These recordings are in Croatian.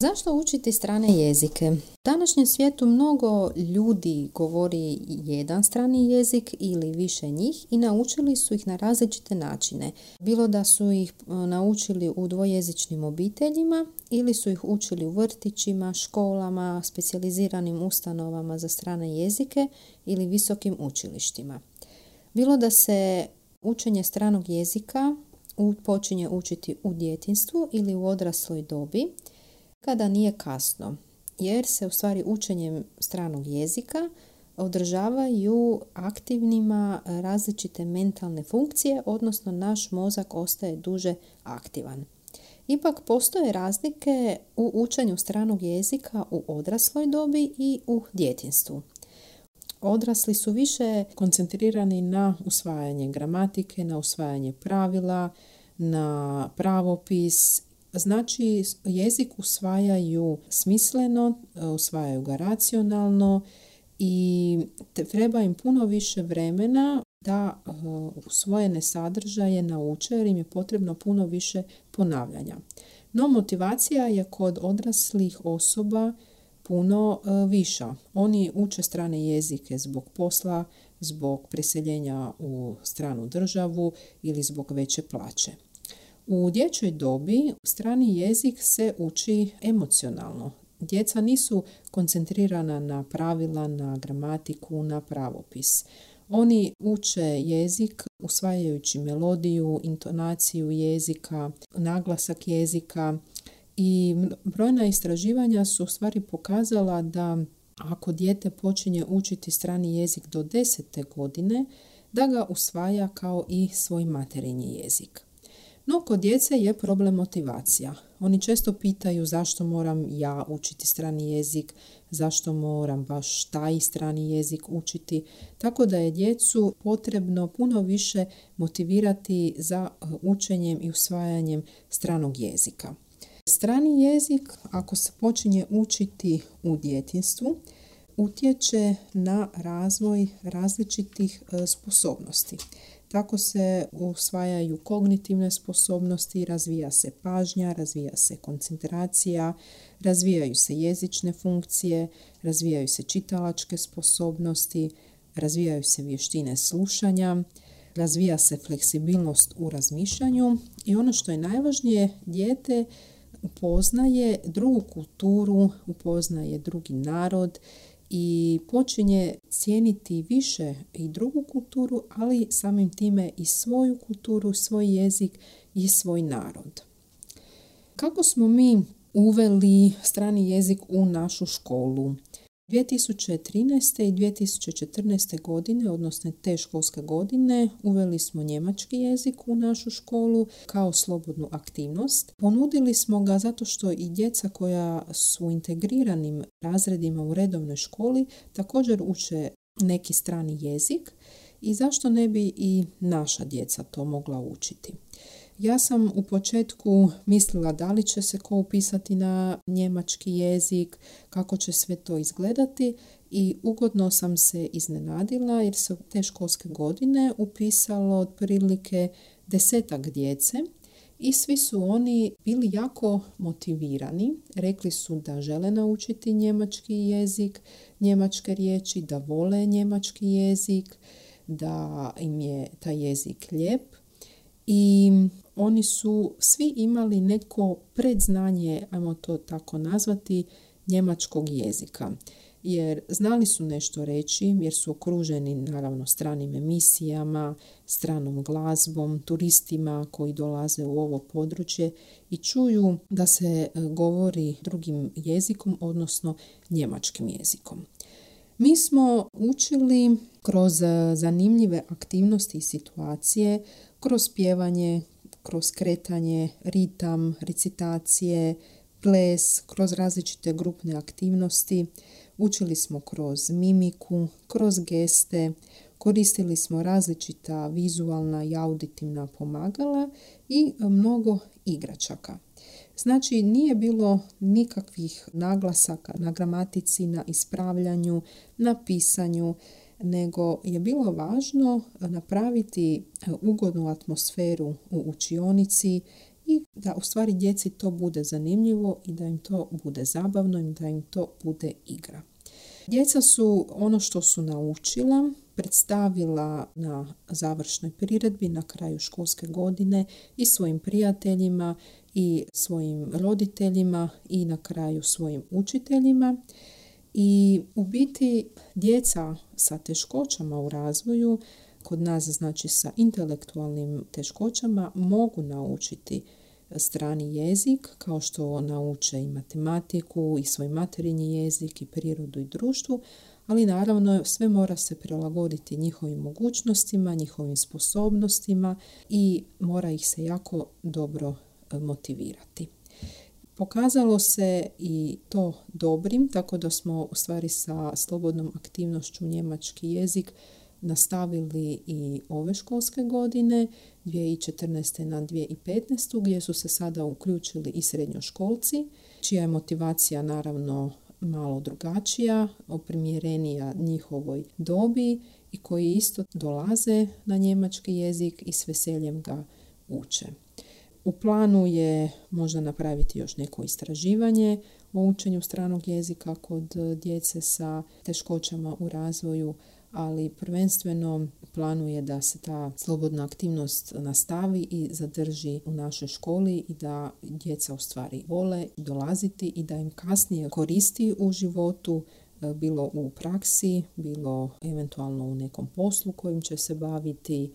Zašto učiti strane jezike? U današnjem svijetu mnogo ljudi govori jedan strani jezik ili više njih i naučili su ih na različite načine. Bilo da su ih naučili u dvojezičnim obiteljima ili su ih učili u vrtićima, školama, specijaliziranim ustanovama za strane jezike ili visokim učilištima. Bilo da se učenje stranog jezika počinje učiti u djetinjstvu ili u odrasloj dobi, kada nije kasno, jer se u stvari učenjem stranog jezika održavaju aktivnima različite mentalne funkcije, odnosno naš mozak ostaje duže aktivan. Ipak postoje razlike u učenju stranog jezika u odrasloj dobi i u djetinjstvu. Odrasli su više koncentrirani na usvajanje gramatike, na usvajanje pravila, na pravopis. Znači, jezik usvajaju smisleno, usvajaju ga racionalno i treba im puno više vremena da usvojene sadržaje nauče jer im je potrebno puno više ponavljanja. No, motivacija je kod odraslih osoba puno viša. Oni uče strane jezike zbog posla, zbog preseljenja u stranu državu ili zbog veće plaće. U dječjoj dobi strani jezik se uči emocionalno. Djeca nisu koncentrirana na pravila, na gramatiku, na pravopis. Oni uče jezik usvajajući melodiju, intonaciju jezika, naglasak jezika i brojna istraživanja su u stvari pokazala da ako dijete počinje učiti strani jezik do 10. godine, da ga usvaja kao i svoj materinji jezik. No, kod djece je problem motivacija. Oni često pitaju zašto moram ja učiti strani jezik, zašto moram baš taj strani jezik učiti, tako da je djecu potrebno puno više motivirati za učenjem i usvajanjem stranog jezika. Strani jezik, ako se počinje učiti u djetinjstvu, utječe na razvoj različitih sposobnosti. Tako se usvajaju kognitivne sposobnosti, razvija se pažnja, razvija se koncentracija, razvijaju se jezične funkcije, razvijaju se čitalačke sposobnosti, razvijaju se vještine slušanja, razvija se fleksibilnost u razmišljanju i ono što je najvažnije, dijete upoznaje drugu kulturu, upoznaje drugi narod i počinje cijeniti više i drugu kulturu, ali samim time i svoju kulturu, svoj jezik i svoj narod. Kako smo mi uveli strani jezik u našu školu? 2013. i 2014. godine, odnosno te školske godine, uveli smo njemački jezik u našu školu kao slobodnu aktivnost. Ponudili smo ga zato što i djeca koja su u integriranim razredima u redovnoj školi također uče neki strani jezik i zašto ne bi i naša djeca to mogla učiti. Ja sam u početku mislila da li će se ko upisati na njemački jezik, kako će sve to izgledati i ugodno sam se iznenadila jer se u te školske godine upisalo otprilike 10 djece i svi su oni bili jako motivirani. Rekli su da žele naučiti njemački jezik, njemačke riječi, da vole njemački jezik, da im je taj jezik lijep. I oni su svi imali neko predznanje, ajmo to tako nazvati, njemačkog jezika. Jer znali su nešto reći, jer su okruženi naravno stranim emisijama, stranom glazbom, turistima koji dolaze u ovo područje i čuju da se govori drugim jezikom, odnosno njemačkim jezikom. Mi smo učili kroz zanimljive aktivnosti i situacije, kroz pjevanje, kroz kretanje, ritam, recitacije, ples, kroz različite grupne aktivnosti. Učili smo kroz mimiku, kroz geste, koristili smo različita vizualna i auditivna pomagala i mnogo igračaka. Znači, nije bilo nikakvih naglasaka na gramatici, na ispravljanju, na pisanju, nego je bilo važno napraviti ugodnu atmosferu u učionici i da u stvari djeci to bude zanimljivo i da im to bude zabavno i da im to bude igra. Djeca su ono što su naučila predstavila na završnoj priredbi na kraju školske godine i svojim prijateljima i svojim roditeljima i na kraju svojim učiteljima. I u biti djeca sa teškoćama u razvoju, kod nas znači sa intelektualnim teškoćama, mogu naučiti strani jezik kao što nauče i matematiku i svoj materinji jezik i prirodu i društvu, ali naravno sve mora se prilagoditi njihovim mogućnostima, njihovim sposobnostima i mora ih se jako dobro motivirati. Pokazalo se i to dobrim, tako da smo u stvari sa slobodnom aktivnošću njemački jezik nastavili i ove školske godine, 2014. na 2015. gdje su se sada uključili i srednjoškolci, čija je motivacija naravno malo drugačija, oprimjerenija njihovoj dobi i koji isto dolaze na njemački jezik i s veseljem ga uče. U planu je možda napraviti još neko istraživanje o učenju stranog jezika kod djece sa teškoćama u razvoju, ali prvenstveno planuje da se ta slobodna aktivnost nastavi i zadrži u našoj školi i da djeca u stvari vole dolaziti i da im kasnije koristi u životu, bilo u praksi, bilo eventualno u nekom poslu kojim će se baviti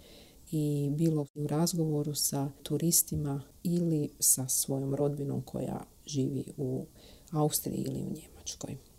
i bilo u razgovoru sa turistima ili sa svojom rodbinom koja živi u Austriji ili u Njemačkoj.